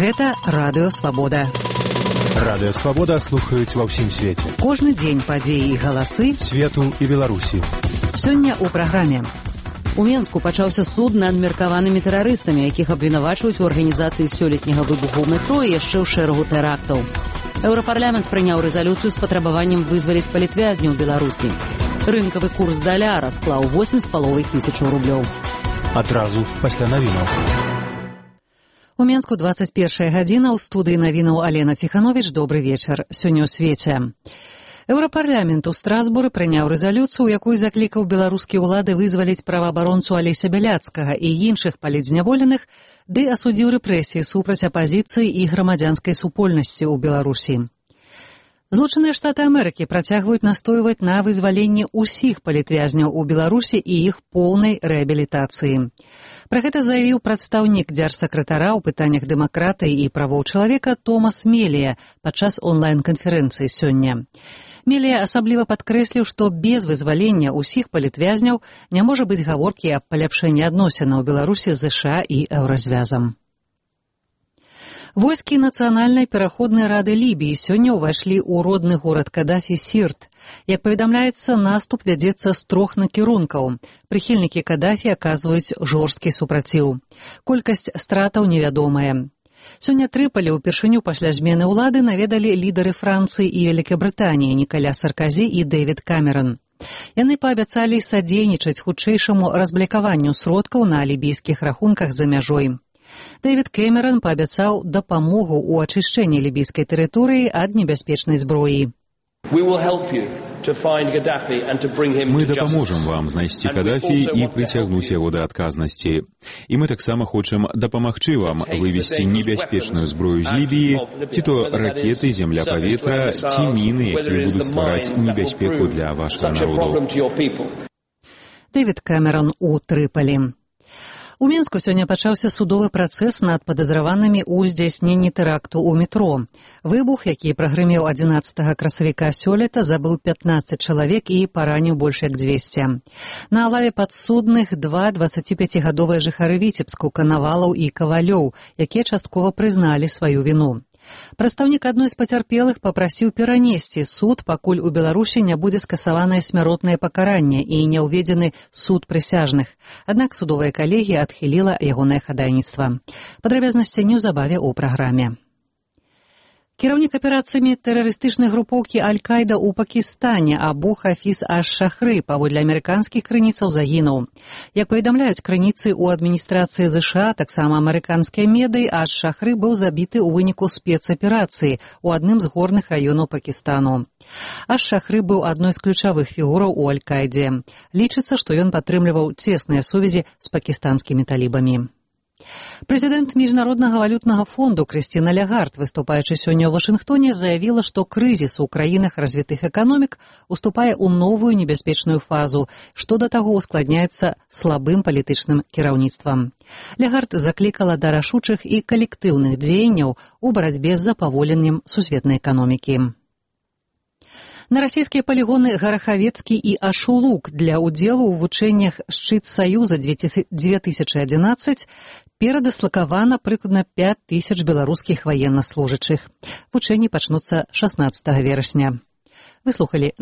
Гэта Радыё Свабода. Радыё Свабода слухаюць ва ўсім свеце. Кожны дзень падзеі і галасы свету і Беларусі. Сёння ў праграме. У Менску пачаўся суд над меркаванымі тэрарыстамі, якіх абвінавачваюць у арганізацыі сёлетняга выбуху ў метро і яшчэ ў шэрагу тэрактаў. Еўрапарламент прыняў рэзалюцыю з патрабаваннем вызваліць палітвязняў Беларусі. Рынкавы курс даляра склаў 8,5 тысячаў рублёў. Адразу пасля навінаў. У Менску 21 гадзіна, ў студыі навінаў Алена Ціхановіч. Добры вечар. Сёння ў свеце. Еўрапарламент у Страсбуры прыняў рэзалюцыю, у якой заклікаў беларускія ўлады вызваліць праваабаронцу Алеся Бяляцкага і іншых палітзняволеных, ды асудзіў рэпрэсіі супраць апазіцыі і грамадзянскай супольнасці ў Беларусі. Злучаныя Штаты Амерыкі працягваюць настойваць на вызваленні ўсіх палітвязняў у Беларусі і іх поўнай рэабілітацыі. Пра гэта заявіў прадстаўнік дзяржсакратара ў пытаннях дэмакратыі і правоў чалавека Томас Мелія падчас онлайн-канферэнцыі сёння. Мелія асабліва падкрэсліў, што без вызвалення ўсіх палітвязняў не можа быць гаворкі аб паляпшэнні адносінаў Беларусі з ЗША і Еўразвязам. Войскі Нацыянальнай пераходнай рады Лібіі сёння ўвайшлі ў родны горад Кадафі Сірт. Як паведамляецца, наступ вядзецца з 3 накірункаў. Прыхільнікі Кадафі аказваюць жорсткі супраціў. Колькасць стратаў невядомая. Сёння Трыполі ўпершыню пасля змены ўлады наведалі лідары Францыі і Вялікабрытаніі Нікаля Сарказі і Дэвід Камерон. Яны паабяцалі садзейнічаць хутчэйшаму разблакаванню сродкаў на лібійскіх рахунках за мяжой. Дэвід Кэмерон паабяцаў дапамогу ў ачышчэнні лібійскай тэрыторыі ад небяспечнай зброі. Мы дапаможам вам знайсці Кадафі і прыцягнуць яго да адказнасці. І мы таксама хочам дапамагчы вам вывесці небяспечную зброю з Лібіі, ці то ракеты, земля-паветра, ці міны, якія будуць ствараць небяспеку для вашага народу. Дэвід Кэмерон у Трыполі. У Менску сёння пачаўся судовы працэс над падазраванымі ў здзяйсненні тэракту ў метро. Выбух, які прагрымеў 11 красавіка сёлета, забыў 15 чалавек і параніў больш як 200. На лаве падсудных 2 25-гадовыя жыхары Віцебску, Канавалаў і Кавалёў, якія часткова прызналі сваю віну. Прадстаўнік адной з пацярпелых папрасіў перанесці суд, пакуль у Беларусі не будзе скасаванае смяротнае пакаранне і не ўведзены суд прысяжных. Аднак судовая калегія адхіліла ягонае хадайніцтва. Падрабязнасці неўзабаве ў праграме. Кіраўнік аперацыямі тэрарыстычнай групоўкі Аль-Каіда ў Пакістане Абу Хафіз аш-Шахры паводле амерыканскіх крыніцаў загінуў. Як паведамляюць крыніцы ў адміністрацыі ЗША, таксама амерыканскія медыі, аш-Шахры быў забіты ў выніку спецаперацыі ў адным з горных раёнаў Пакістану. Аш-Шахры быў адной з ключавых фігураў у Аль-Каідзе. Лічыцца, што ён падтрымліваў цесныя сувязі з пакістанскімі талібамі. Прэзідэнт Міжнароднага валютнага фонду Крыстіна Лягард, выступаючы сёння ў Вашынгтоне, заявіла, што крызіс у краінах развітых эканомік уступае ў новую небяспечную фазу, што да таго ускладняецца слабым палітычным кіраўніцтвам. Лягард заклікала да рашучых і калектыўных дзеянняў у барацьбе з запаволеннем сусветнай эканомікі. На расійскія палігоны Гарахавецкі і Ашулук для ўдзелу ў вучэннях «Шчыт Саюза» 2011 перадаслакавана прыкладна 5000 беларускіх ваеннаслужачых. Вучэнні пачнуцца 16 верасня. Вы слухалі